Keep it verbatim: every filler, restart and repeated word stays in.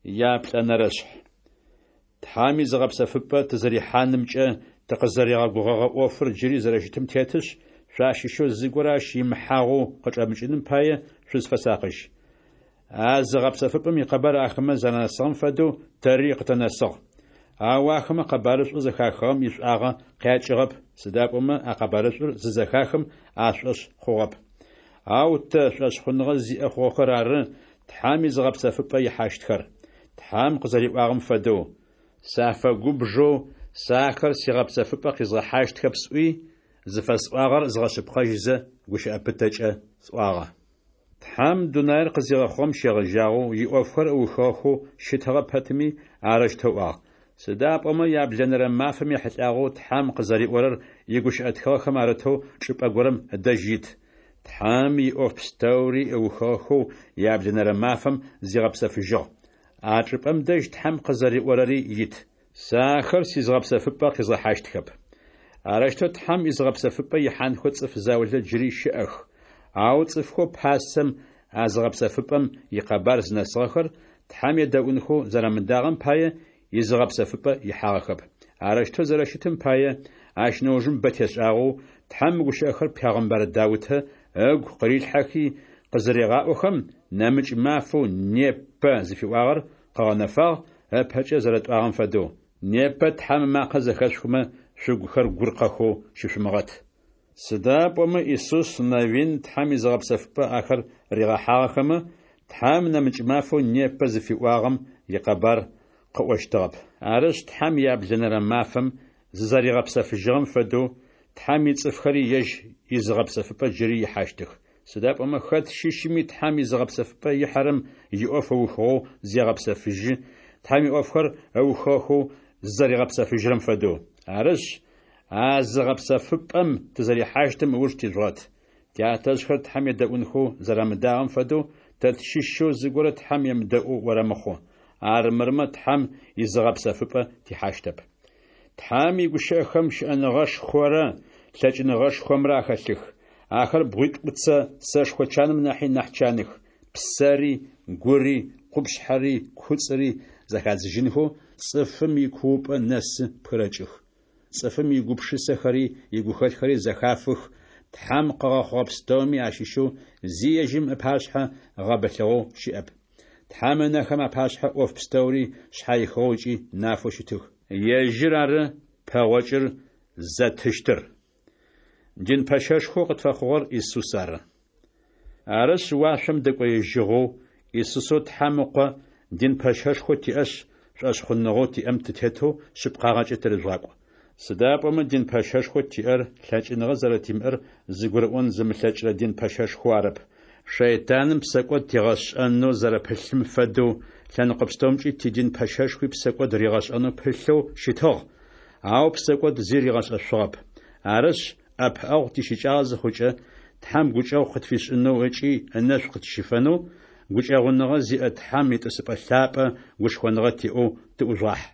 Яплӏэнэрэшъхь. Тхьэм изыгъэпсэфыпӏэ тызэрихьанымкӏэ тыкъызэригъэгугъэгъэ ӏофыр джыри зэрэщытым тетышъ, шъуащыщэу зыгорэ ащ имыхьагъэу къычӏэмыкӏыным пае шъузфэсакъыжь. А зыгъэпсэфыпӏэм икъэбар ахэмэ зэранэсыгъэм фэдэу тэри къытэнэсыгъ. Ау ахэмэ къэбарышӏоу зэхахыгъэм ишӏуагъэ къякӏыгъэп, сыда пӏомэ а къэбарышӏур зызэхахым ашӏошъ хъугъэп. Ау тэ, шӏошъхъуныгъэ зиӏэ хъугъэхэр ары, Тхьэм изыгъэпсэфыпӏэ ихьащтхэр. Тхьэм къызэриӏуагъэм фэдэу: Сафэгубжэу, сэ ахэр сигъэпсэфыпӏэ къизгъэхьащтхэп сӏуи, зыфэсӏуагъэр згъэшъыпкъэжьызэ, гущыӏэ пытэкӏэ сӏуагъэ. Тхьэм дунаир къызигъэхъугъэм щегъэжьагъэу иӏофхэр ыухыгъэхэу щытыгъэ пэтми, арэущтэу ыӏуагъ. Сыда пӏомэ яблэнэрэ мафэм ехьылӏагъэу Тхьэм къызэриӏорэр игущыӏэ тхыгъэхэм арытэу чӏыпӏэ горэм ыдэжь ит: Тхьэм иӏоф пстэури ыухыгъэхэу яблэнэрэ мафэм зигъэпсэфыжьыгъ. А чӏыпӏэм дэжь Тхьэм къызэриӏорэри ит: Сэ ахэр сизыгъэпсэфыпӏэ къизгъэхьащтхэп. Арэущтэу Тхьэм изыгъэпсэфыпӏэ ихьанхэу цӏыф заулэ джыри щыӏэх. Ау цӏыфхэу пасэм а зыгъэпсэфыпӏэм икъэбар зынэсыгъэхэр Тхьэм едэӏунхэу зэрамыдагъэм пае, изыгъэпсэфыпӏэ ихьагъэхэп. Арэущтэу зэрэщытым пае, ащ нэужым бэ тешӏагъэу, Тхьэм мы гущыӏэхэр пегъымбар Даутэ ыгу къырилъхьэхи къызырегъаӏохэм, нэмыкӏ мафэу «Непэ» зыфиӏуагъэр къыгъэнэфагъ, ыпэкӏэ зэрэтӏуагъэм фэдэу: Непэ Тхьэм ымакъэ зэхэшъухымэ, шъугухэр гуркъэхэу щышъумыгъэт. Сыда пӏомэ Исус Навин Тхьэм изыгъэпсэфыпӏэ ахэр ригъэхьагъэхэмэ, Тхьэм нэмыкӏ мафэу «Непэ» зыфиӏуагъэм икъэбар къыӏощтыгъэп. Арышъ, Тхьэм яблэнэрэ мафэм зызэригъэпсэфыжьыгъэм фэдэу, Тхьэм ицӏыфхэри ежь изыгъэпсэфыпӏэ джыри ихьащтых. Сыда пӏомэ хэт щыщми Тхьэм изыгъэпсэфыпӏэ ихьэрэм иӏоф ыухыгъэу зегъэпсэфыжьы, Тхьэм иӏофхэр ыухыгъэхэу зызэригъэпсэфыжьырэм фэдэу. Арышъ, а зыгъэпсэфыпӏэм тызэрихьащтым ыуж тижъугъэт. Тятэжъхэр Тхьэм едэӏунхэу зэрамыдагъэм фэдэу, тэ тщыщэу зыгорэ Тхьэм емыдэӏоу орэмыхъу. Армырмэ Тхьэм изыгъэпсэфыпӏэ тихьащтэп. Тхьэм игущыӏэхэм щыӏэныгъэшхорэ лъэкӏыныгъэшхомрэ ахэлъых. Ахэр бгъуитӏуцэ сэшхо чаным нахьи нахь чаных. Псэри, гури, къупшъхьэри, куцӏыри зэхадзыжьынхэу цӏыфым икуупӏэ нэсы пхырэкӏых. Цӏыфым игупшысэхэри игухэлъхэри зэхафых, Тхьэм къыгъэхъугъэ пстэуми ащыщэу зи ежьым ыпашъхьэ гъэбылъыгъэу щыӏэп. Тхьэм ынэхэм апашъхьэ ӏоф пстэури шъхьаихыгъэу ыкӏи нафэу щытых. Ежьыр ары пэгъокӏыр зэтыщтыр. Дин пэщэшхоу къытфэхъугъэр Исус ары. Арышъ, уашъом дэкӏоежьыгъэу, Исусэу Тхьэм Ыкъо дин пэщэшхоу тиӏэшъ, шӏошъхъуныгъэу тиӏэм тытетэу шъыпкъагъэкӏэ тырыжъугъакӏу. Сыда пӏомэ дин пэщэшхоу тиӏэр лъэкӏыныгъэ зэрэтимыӏэр зыгурыӏон зымылъэкӏырэ дин пэщэшхоу арэп. Шэйтаным псэкӏод тигъэшӏэнэу зэрэпылъым фэдэу, лъэныкъо пстэумкӏи тидин пэщэшхуи псэкӏод ригъэшӏэнэу пылъэу щытыгъ, ау псэкӏод зи ригъэшӏэшъугъэп. Арышъ, ӏэпыӏэгъу тищыкӏагъэ зыхъукӏэ, Тхьэм гукӏэгъу къытфишӏынэу ыкӏи ынэшӏу къытщифэнэу, гукӏэгъуныгъэ зиӏэ Тхьэм итӏысыпӏэ лъапӏэ гушхоныгъэ тиӏэу тыӏужъугъахь.